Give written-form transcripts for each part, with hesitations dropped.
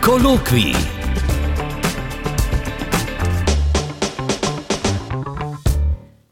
Kolokvij.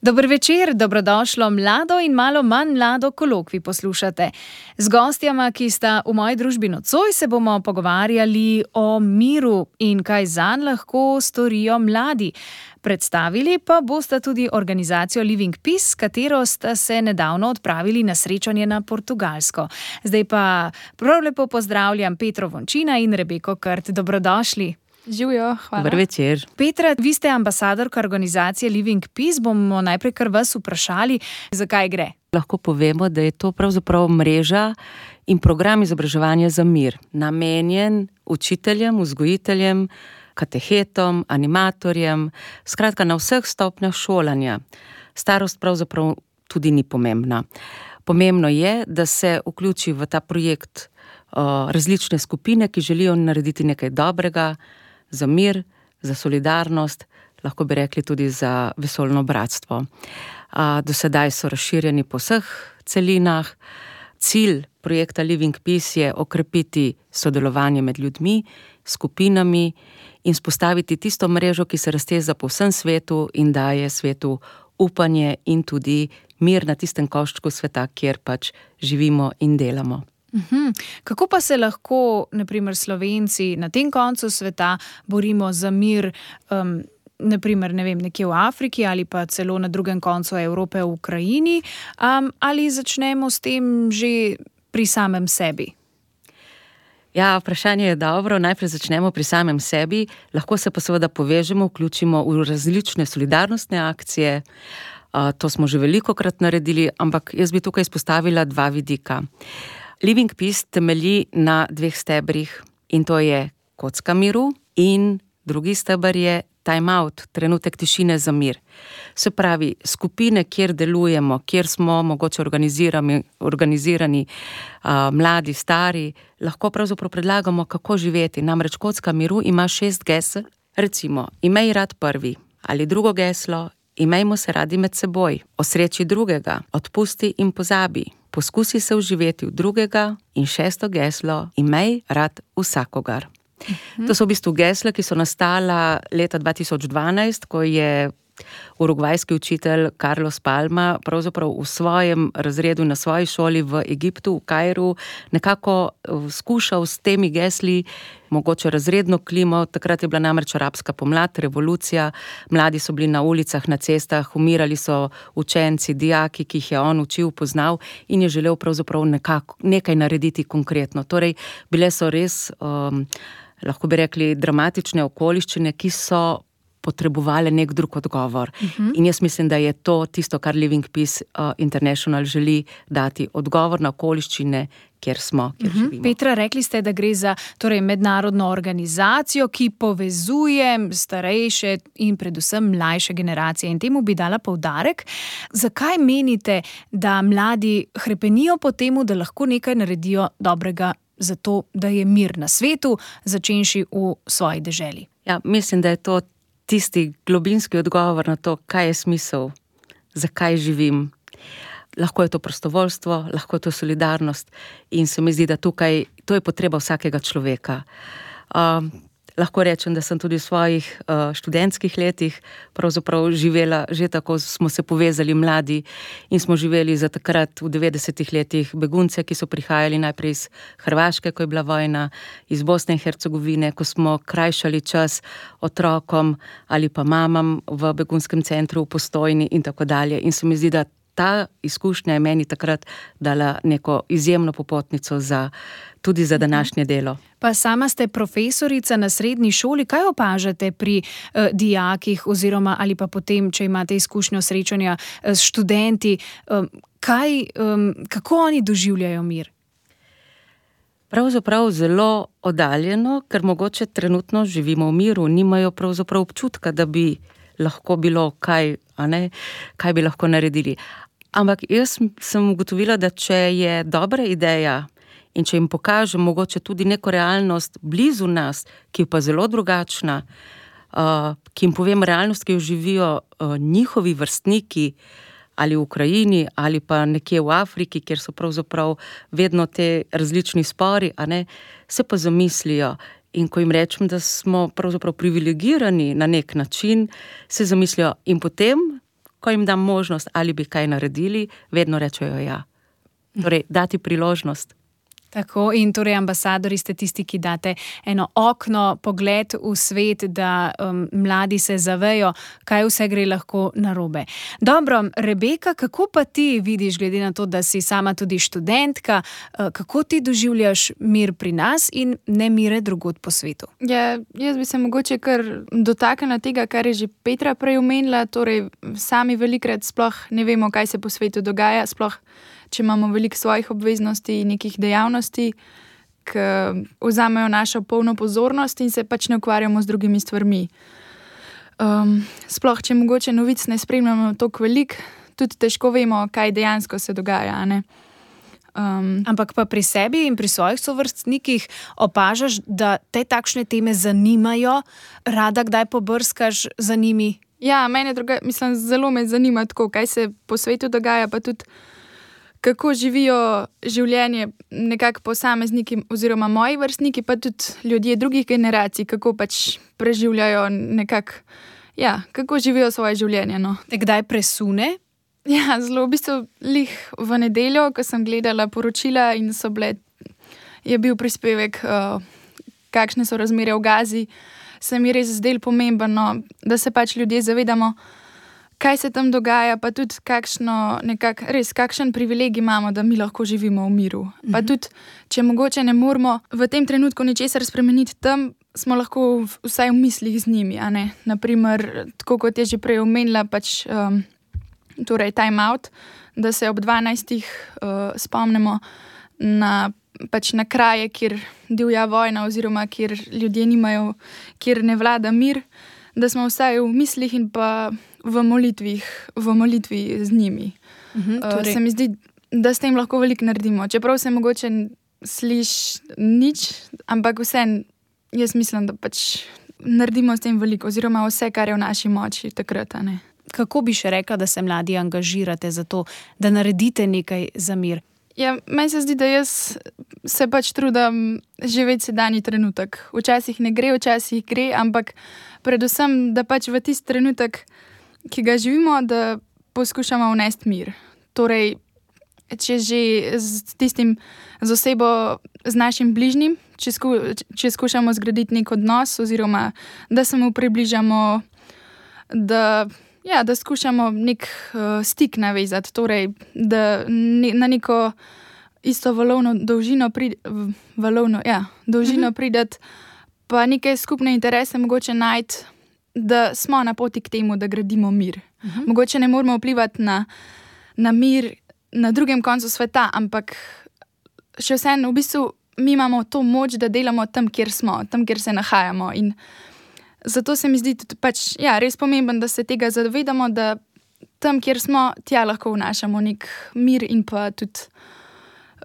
Dober večer, dobrodošlo mlado in malo manj mlado kolokvij poslušate. Z gostjama, ki sta v moji družbi nocoj, se bomo pogovarjali o miru in kaj zanj lahko storijo mladi. Predstavili pa bosta tudi organizacijo Living Peace, s katero sta se nedavno odpravili na srečanje na Portugalsko. Zdaj pa prav lepo pozdravljam Petro Vončina in Rebeko Krt. Dobrodošli. Živijo, hvala. Dober večer. Petra, vi ste ambasadorka organizacije Living Peace. Bomo najprej kar vas vprašali, zakaj gre. Lahko povemo, da je to pravzaprav mreža in program izobraževanja za mir, namenjen učiteljem, vzgojiteljem, katehetom, animatorjem, skratka na vseh stopnjah šolanja. Starost pravzaprav tudi ni pomembna. Pomembno je, da se vključi v ta projekt različne skupine, ki želijo narediti nekaj dobrega za mir, za solidarnost, lahko bi rekli tudi za vesoljno bratstvo. Do sedaj so razširjeni po vseh celinah. Cilj projekta Living Peace je okrepiti sodelovanje med ljudmi, skupinami in vzpostaviti tisto mrežo, ki se razteza po vsem svetu in daje svetu upanje in tudi mir na tistem koščku sveta, kjer pač živimo in delamo. Kako pa se lahko, na primer, Slovenci na tem koncu sveta borimo za mir, na primer, ne vem, nekje v Afriki ali pa celo na drugem koncu Evrope v Ukrajini, ali začnemo s tem že pri samem sebi? Ja, vprašanje je dobro. Najprej začnemo pri samem sebi, lahko se pa seveda povežemo, vključimo v različne solidarnostne akcije. To smo že velikokrat naredili, ampak jaz bi tukaj izpostavila dva vidika. Living Peace temelji na dveh stebrih in to je kocka miru in drugi steber je time out, trenutek tišine za mir. Se pravi, skupine, kjer delujemo, kjer smo mogoče organizirani, mladi, stari, lahko pravzaprav predlagamo, kako živeti. Namreč kocka miru ima 6 gesel, recimo, imej rad prvi ali drugo geslo, imejmo se radi med seboj, osreči drugega, odpusti in pozabi. Poskusi se vživeti v drugega in 6. geslo, imej rad vsakogar. To so v bistvu gesla, ki so nastala leta 2012, ko je urugvajski učitelj Carlos Palma pravzaprav v svojem razredu na svoji šoli v Egiptu, v Kairu, nekako skušal s temi gesli mogoče razredno klimo. Takrat je bila namreč arabska pomlad, revolucija, mladi so bili na ulicah, na cestah, umirali so učenci, dijaki, ki jih je on učil, poznal in je želel pravzaprav nekaj narediti konkretno. Torej, bile so res, lahko bi rekli, dramatične okoliščine, ki so potrebovali nek drug odgovor. In jaz mislim, da je to tisto, kar Living Peace International želi dati, odgovor na okoliščine, kjer smo, kjer živimo. Petra, rekli ste, da gre za mednarodno organizacijo, ki povezuje starejše in predvsem mlajše generacije. In temu bi dala poudarek. Zakaj menite, da mladi hrepenijo po temu, da lahko nekaj naredijo dobrega za to, da je mir na svetu, začenši v svoji deželi? Ja, mislim, da je to tisti globinski odgovor na to, kaj je smisel, zakaj živim. Lahko je to prostovoljstvo, lahko je to solidarnost in se mi zdi, da tukaj to je potreba vsakega človeka. Lahko rečem, da sem tudi v svojih študentskih letih pravzaprav živela, že tako smo se povezali mladi in smo živeli za takrat v 90-ih letih begunce, ki so prihajali najprej iz Hrvaške, ko je bila vojna, iz Bosne in Hercegovine, ko smo krajšali čas otrokom ali pa mamam v begunskem centru v Postojni in tako dalje. In se mi zdi, da ta izkušnja je meni takrat dala neko izjemno popotnico tudi za današnje delo. Pa sama ste profesorica na srednji šoli. Kaj opažate pri dijakih oziroma ali pa potem, če imate izkušnjo srečanja s študenti, kako oni doživljajo mir? Pravzaprav zelo oddaljeno, ker mogoče trenutno živimo v miru, nimajo pravzaprav občutka, da bi lahko bilo kaj bi lahko naredili. Ampak jaz sem ugotovila, da če je dobra ideja in če jim pokažem mogoče tudi neko realnost blizu nas, ki je pa zelo drugačna, ki jim povem realnost, ki jo živijo njihovi vrstniki, ali v Ukrajini, ali pa nekje v Afriki, kjer so pravzaprav vedno te različni spori, se pa zamislijo In ko jim rečem, da smo pravzaprav privilegirani na nek način, se zamislijo in potem, ko jim dam možnost, ali bi kaj naredili, vedno rečejo ja. Torej, dati priložnost. Tako, in torej ambasadori ste tisti, ki date eno okno, pogled v svet, da mladi se zavejo, kaj vse gre lahko narobe. Dobro, Rebeka, kako pa ti vidiš, glede na to, da si sama tudi študentka, kako ti doživljaš mir pri nas in nemire drugod po svetu? Ja, jaz bi se mogoče kar dotaknila tega, kar je že Petra prej omenila, torej sami velikrat sploh ne vemo, kaj se po svetu dogaja, sploh če imamo veliko svojih obveznosti in nekih dejavnosti, ki vzamejo našo polno pozornost in se pač ne ukvarjamo z drugimi stvarmi. Sploh, če mogoče novic ne spremljamo toliko veliko, tudi težko vemo, kaj dejansko se dogaja, ne? Ampak pa pri sebi in pri svojih sovrstnikih opažaš, da te takšne teme zanimajo, rada kdaj pobrskaš za njimi? Ja, zelo me zanima tako, kaj se po svetu dogaja, pa tudi kako živijo življenje nekako posamezniki oziroma moji vrstniki, pa tudi ljudje drugih generacij, kako pač preživljajo nekako, ja, kako živijo svoje življenje, no. Te kdaj presune? Ja, zelo, v bistvu lih v nedeljo, ko sem gledala poročila in je bil prispevek, kakšne so razmere v Gazi, se mi res zdelo pomembno, da se pač ljudje zavedamo, kaj se tam dogaja, pa tudi kakšen privilegij imamo, da mi lahko živimo v miru. Pa tudi, če mogoče ne moramo v tem trenutku ničesar spremeniti tam, smo lahko vsaj v mislih z njimi, a ne. Naprimer, tako kot je že prej omenila, pač torej time out, da se ob 12 spomnimo na kraje, kjer divja vojna oziroma kjer ljudje nimajo, kjer ne vlada mir, da smo vsaj v mislih in pa v molitvi z njimi. Se mi zdi, da s tem lahko veliko naredimo. Čeprav se mogoče sliši nič, ampak vseeno jaz mislim, da pač naredimo s tem veliko, oziroma vse, kar je v naši moči takrat, a ne. Kako bi še rekla, da se mladi angažirate za to, da naredite nekaj za mir? Ja, meni se zdi, da jaz se pač trudim živeti sedanji trenutek. Včasih ne gre, včasih gre, ampak predvsem, da pač v tisti trenutek, ki ga živimo, da poskušamo vnesti mir. Torej, če že z osebo, z našim bližnjim, če skušamo zgraditi nek odnos, oziroma da se mu približamo, da skušamo nek stik navezati, torej, da na neko isto valovno dolžino prideti, pa neke skupne interese mogoče najti, da smo na poti k temu, da gradimo mir. Mogoče ne moramo vplivati na mir na drugem koncu sveta, ampak še vseeno v bistvu mi imamo to moč, da delamo tam, kjer smo, tam, kjer se nahajamo. In zato se mi zdi tudi pač, ja, res pomembno, da se tega zavedamo, da tam, kjer smo, tja lahko vnašamo nek mir in pa tudi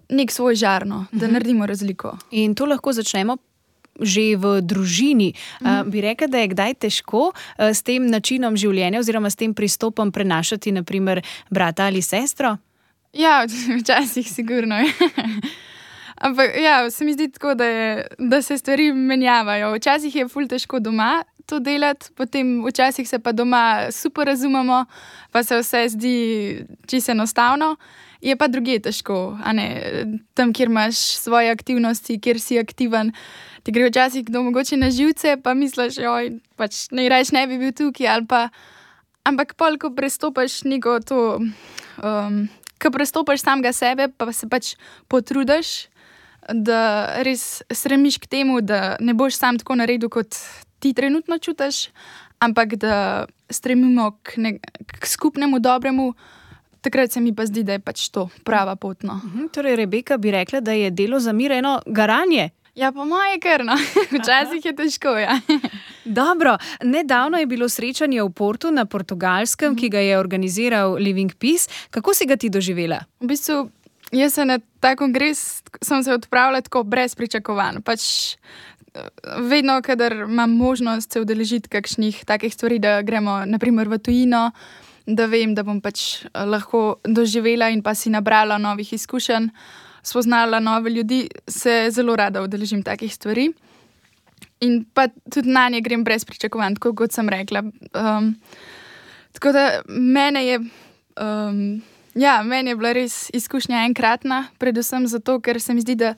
nek svoj žar, da naredimo razliko. In to lahko začnemo že v družini. Bi rekla, da je kdaj težko s tem načinom življenja oziroma s tem pristopom prenašati, naprimer, brata ali sestro? Ja, včasih sigurno je. Ampak ja, se mi zdi tako, da se stvari menjavajo. Včasih je ful težko doma to delati, potem včasih se pa doma super razumemo, pa se vse zdi čisto enostavno. Je pa drugje težko, a ne, tam, kjer imaš svoje aktivnosti, kjer si aktiven, ti gre včasih kdo mogoče na živce, pa misliš, pač najraje ne bi bil tukaj, ali pa, ampak pol, ko prestopaš neko to, ko prestopaš samega sebe, pa se pač potrudiš, da res stremiš k temu, da ne boš sam tako naredil, kot ti trenutno čutiš, ampak da stremimo k skupnemu dobremu. Takrat se mi pa zdi, da je pač to prava pot, no. Torej, Rebeka bi rekla, da je delo za mir eno garanje. Ja, po moje kar, no. Včasih je težko, ja. Dobro, nedavno je bilo srečanje v Portu na Portugalskem, ki ga je organiziral Living Peace. Kako si ga ti doživela? V bistvu, jaz se na ta kongres sem se odpravila tako brez pričakovanj. Pač vedno, kadar imam možnost se udeležiti kakšnih takih stvari, da gremo naprimer v tujino, da vem, da bom pač lahko doživela in pa si nabrala novih izkušenj, spoznala nove ljudi, se zelo rada udeležim takih stvari. in pa tudi na nje grem brez pričakovanj, tako kot sem rekla. Tako da meni je bila res izkušnja enkratna, predvsem zato, ker se mi zdi, da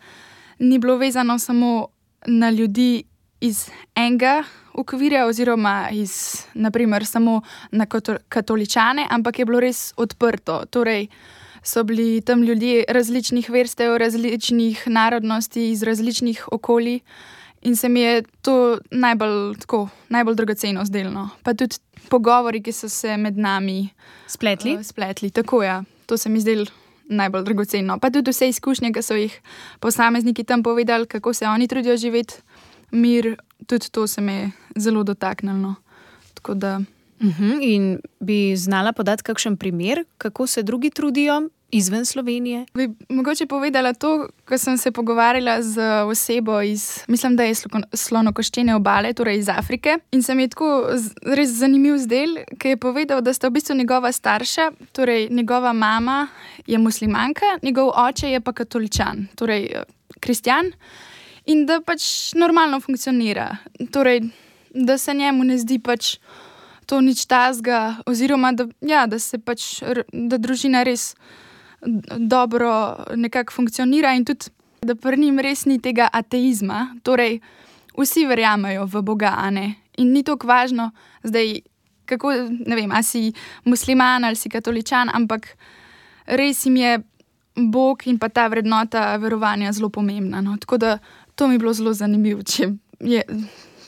ni bilo vezano samo na ljudi iz enega okvirja oziroma naprimer samo na katoličane, ampak je bilo res odprto. Torej, so bili tam ljudje različnih verstev, različnih narodnosti, iz različnih okolij in se mi je to najbolj dragoceno zdelo. Pa tudi pogovori, ki so se med nami spletli. Tako, ja. To se mi zdelo najbolj dragoceno. Pa tudi vse izkušnje, ki so jih posamezniki tam povedali, kako se oni trudijo živeti mir, tudi to se me je zelo dotaknilo. Tako da... In bi znala podati kakšen primer, kako se drugi trudijo izven Slovenije? Bi mogoče povedala to, ko sem se pogovarjala z osebo mislim, da je Slonokoščene obale, torej iz Afrike. In se mi je tako res zanimiv zdel, ki je povedal, da sta v bistvu njegova starša, torej njegova mama je muslimanka, njegov oče je pa katoličan, torej kristjan. In da pač normalno funkcionira. Torej, da se njemu ne zdi pač to nič tazga, oziroma da družina res dobro nekako funkcionira in tudi, da pri njim res ni tega ateizma. Torej, vsi verjamejo v Boga, a ne? In ni toliko važno zdaj, kako, ne vem, a si musliman ali si katoličan, ampak res jim je Bog in pa ta vrednota verovanja zelo pomembna. No? Tako da to mi je bilo zelo zanimivo,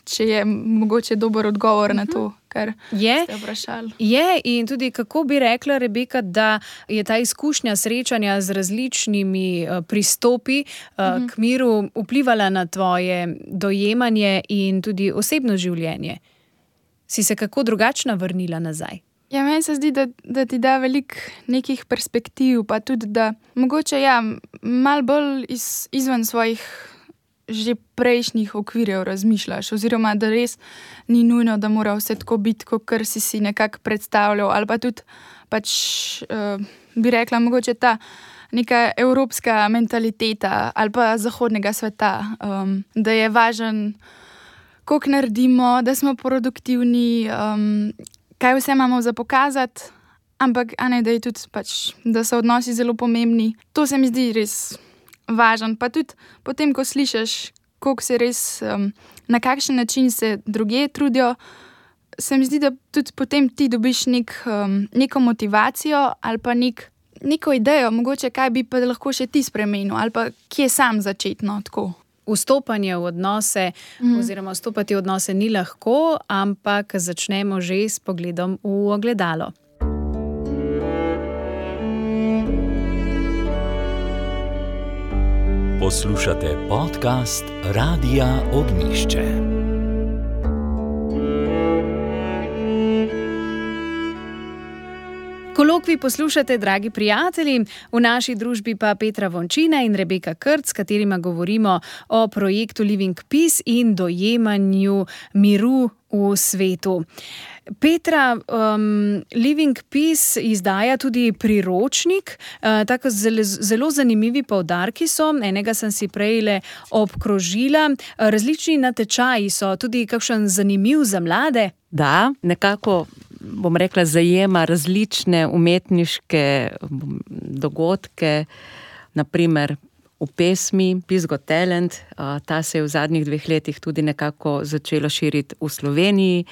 če je mogoče dober odgovor na to, kar ste vprašali. Je, in tudi kako bi rekla, Rebeka, da je ta izkušnja srečanja z različnimi pristopi k miru vplivala na tvoje dojemanje in tudi osebno življenje? Si se kako drugačna vrnila nazaj? Ja, meni se zdi, da ti da veliko nekih perspektiv, pa tudi, da mogoče malo bolj izven svojih že prejšnjih okvirjev razmišljaš, oziroma da res ni nujno, da mora vse tako biti, kot si nekako predstavljal, ali pa tudi bi rekla mogoče ta neka evropska mentaliteta ali pa zahodnega sveta, da je važen, koliko naredimo, da smo produktivni, kaj vse imamo za pokazati, ampak da je tudi da so odnosi zelo pomembni. To se mi zdi res važen, pa tudi potem, ko slišiš, koliko se res, na kakšen način se drugje trudijo, se mi zdi, da tudi potem ti dobiš neko motivacijo ali pa neko idejo, mogoče kaj bi pa lahko še ti spremenil ali pa kje sam začetno, tako. Vstopanje v odnose oziroma vstopati v odnose ni lahko, ampak začnemo že s pogledom v ogledalo. Poslušate podcast Radia Ognjišče. Kolokvij poslušate, dragi prijatelji, v naši družbi pa Petra Vončina in Rebeka Krc, s katerima govorimo o projektu Living Peace in dojemanju miru v svetu. Petra, Living Peace izdaja tudi priročnik, tako zelo zanimivi poudarki so, enega sem si prejle obkrožila, različni natečaji so, tudi kakšen zanimiv za mlade. Da, nekako, bom rekla, zajema različne umetniške dogodke, naprimer v pesmi Peace Got Talent, ta se je v zadnjih 2 letih tudi nekako začela širiti v Sloveniji,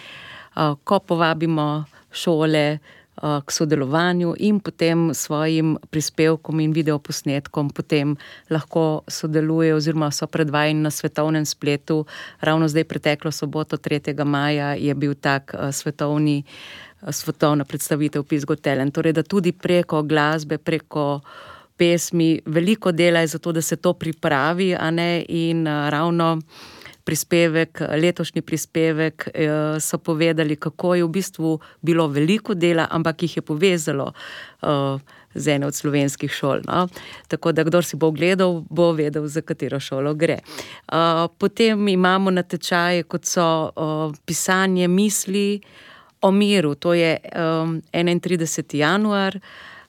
ko povabimo šole k sodelovanju in potem svojim prispevkom in videoposnetkom potem lahko sodelujejo oziroma so predvajani na svetovnem spletu. Ravno zdaj preteklo soboto 3. maja je bil tak svetovna predstavitev Peace Got Talent. Torej, da tudi preko glasbe, preko pesmi veliko dela je za to, da se to pripravi, a ne, in ravno letošnji prispevek so povedali, kako je v bistvu bilo veliko dela, ampak jih je povezalo z ene od slovenskih šol. No? Tako da, kdor si bo ogledal, bo vedel, za katero šolo gre. Potem imamo natečaje, kot so pisanje misli o miru, to je 31. januar,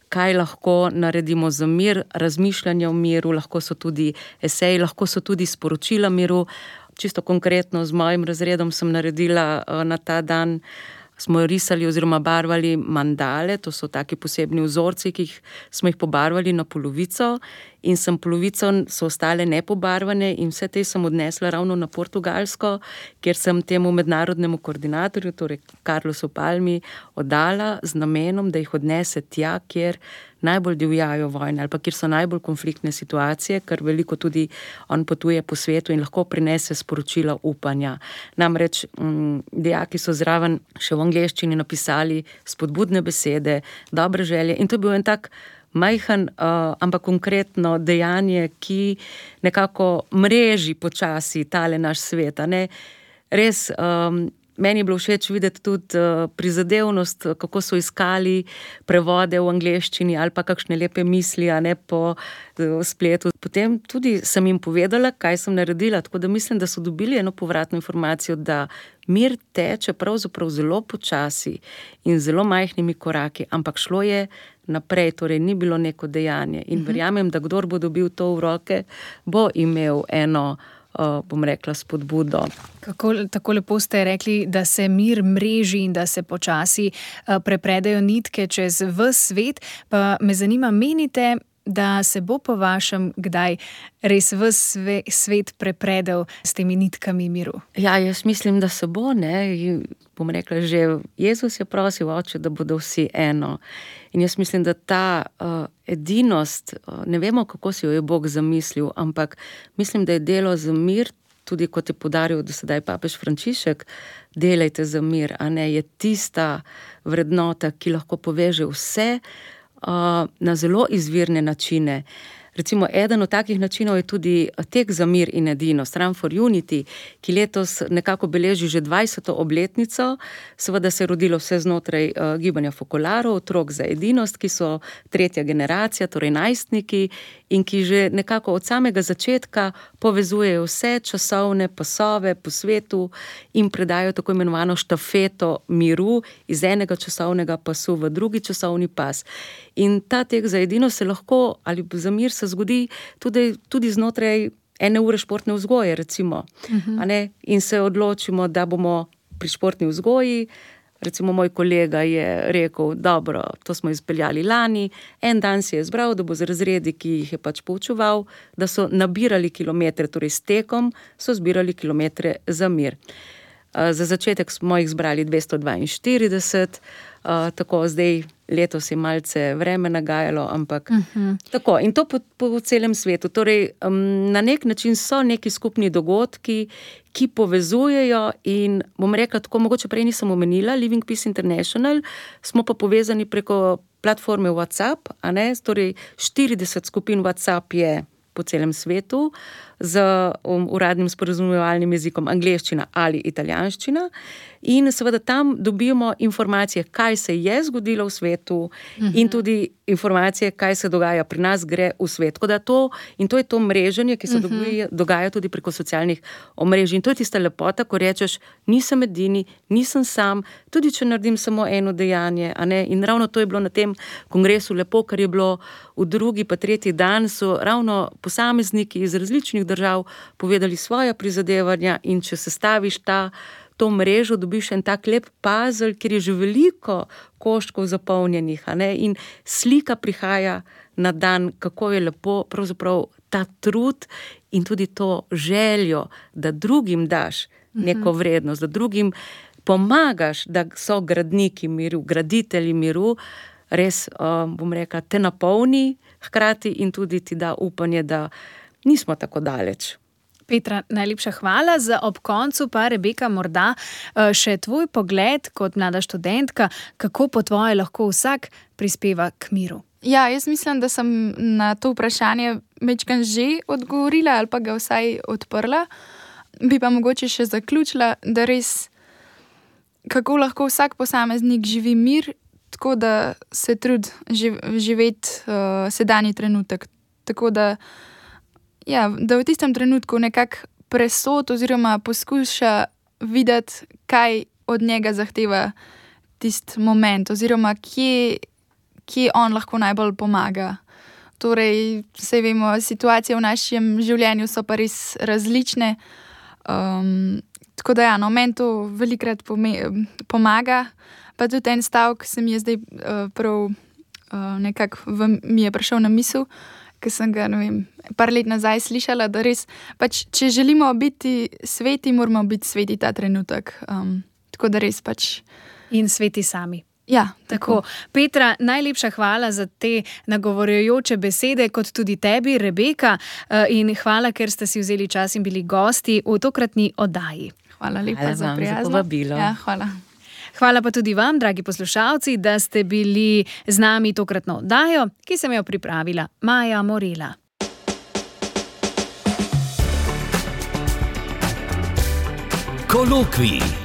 kaj lahko naredimo za mir, razmišljanje o miru, lahko so tudi eseji, lahko so tudi sporočila miru. čisto konkretno z mojim razredom sem naredila na ta dan, smo risali oziroma barvali mandale, to so taki posebni vzorci, ki smo jih pobarvali na polovico in polovico so ostale nepobarvane in vse te sem odnesla ravno na Portugalsko, kjer sem temu mednarodnemu koordinatorju, torej Carlosu Palmi, oddala z namenom, da jih odnese tja, kjer najbolj divjajo vojne ali pa kjer so najbolj konfliktne situacije, ker veliko tudi on potuje po svetu in lahko prinese sporočila upanja. Namreč dijaki so zraven še v angleščini napisali spodbudne besede, dobre želje in to je bil en tak majhen, ampak konkretno dejanje, ki nekako mreži počasi tale naš svet, a ne? Res, meni je bilo všeč videti tudi prizadevnost, kako so iskali prevode v angleščini ali pa kakšne lepe misli, a ne, po spletu. Potem tudi sem jim povedala, kaj sem naredila, tako da mislim, da so dobili eno povratno informacijo, da mir teče pravzaprav zelo počasi in zelo majhnimi koraki, ampak šlo je naprej, torej ni bilo neko dejanje. In verjamem, da kdor bo dobil to v roke, bo imel eno, bom rekla, spodbudo. Tako lepo ste rekli, da se mir mreži in da se počasi prepredajo nitke čez ves svet, pa me zanima, menite, da se bo po vašem kdaj res ves svet prepredel s temi nitkami miru? Ja, jaz mislim, da se bo, ne. Bom rekla, že Jezus je prosil Oče, da bodo vsi eno. In jaz mislim, da ta edinost, ne vemo, kako si jo je Bog zamislil, ampak mislim, da je delo za mir, tudi kot je poudaril do sedaj papež Frančišek, delajte za mir, a ne, je tista vrednota, ki lahko poveže vse na zelo izvirne načine. Recimo, eden od takih načinov je tudi tek za mir in edinost, Run for Unity, ki letos nekako beleži že 20. obletnico. Seveda se je rodilo vse znotraj gibanja Focolarov, otrok za edinost, ki so tretja generacija, torej najstniki, in ki že nekako od samega začetka povezujejo vse časovne pasove po svetu in predajo tako imenovano štafeto miru iz enega časovnega pasu v drugi časovni pas. In ta tek za edinost se lahko, ali za mir se zgodi tudi znotraj 1 ure športne vzgoje, recimo. A ne? In se odločimo, da bomo pri športni vzgoji, recimo moj kolega je rekel, dobro, to smo izpeljali lani, en dan si je izbral, da bo z razredi, ki jih je pač poučeval, da so nabirali kilometre, torej s tekom so zbirali kilometre za mir. Za začetek smo jih zbrali 242, tako zdaj letos je malce vreme nagajalo, ampak tako. In to po celem svetu. Torej, na nek način so neki skupni dogodki, ki povezujejo in bom rekla tako, mogoče prej nisem omenila, Living Peace International, smo pa povezani preko platforme WhatsApp, a ne, torej 40 skupin WhatsApp je po celem svetu z uradnim sporazumevalnim jezikom angleščina ali italijanščina in seveda tam dobimo informacije, kaj se je zgodilo v svetu in tudi informacije, kaj se dogaja pri nas, gre v svet. Tako da to je to mreženje, ki se dogaja tudi preko socialnih omrežij. In to je tista lepota, ko rečeš, nisem edini, nisem sam, tudi če naredim samo eno dejanje, a ne. In ravno to je bilo na tem kongresu lepo, ker je bilo v drugi pa tretji dan so ravno posamezniki iz različnih držav povedali svoja prizadevanja in če sestaviš to mrežo, dobiš en tak lep puzzle, kjer je že veliko koščkov zapolnjenih, a ne, in slika prihaja na dan, kako je lepo pravzaprav ta trud in tudi to željo, da drugim daš neko vrednost, da drugim pomagaš, da so gradniki miru, graditelji miru, res, bom rekla, te napolni hkrati in tudi ti da upanje, da nismo tako daleč. Petra, najlepša hvala. Za ob koncu pa, Rebeka, morda še tvoj pogled kot mlada študentka, kako po tvoje lahko vsak prispeva k miru? Ja, jaz mislim, da sem na to vprašanje večkrat že odgovorila ali pa ga vsaj odprla. Bi pa mogoče še zaključila, da res, kako lahko vsak posameznik živi mir, tako da se trudi živeti sedanji trenutek. Tako da da v tistem trenutku nekako presod oziroma poskuša videti, kaj od njega zahteva tisti moment oziroma kje on lahko najbolj pomaga. Torej, saj vemo, situacije v našem življenju so pa res različne, Tako da meni to velikrat pomaga. Pa tudi en stavek se mi je zdaj prav nekako mi je prišel na misel, ker sem ga, par let nazaj slišala, da res, pač, če želimo biti sveti, moramo biti sveti ta trenutek. Tako da res pač. In sveti sami. Ja, tako. Petra, najlepša hvala za te nagovorjujoče besede, kot tudi tebi, Rebeka, in hvala, ker ste si vzeli čas in bili gosti v tokratni oddaji. Hvala lepa za prijazno. Za povabilo. Ja, hvala. Hvala pa tudi vam, dragi poslušalci, da ste bili z nami tokratno oddajo, ki sem jo pripravila Maja Morela. Kolokvij.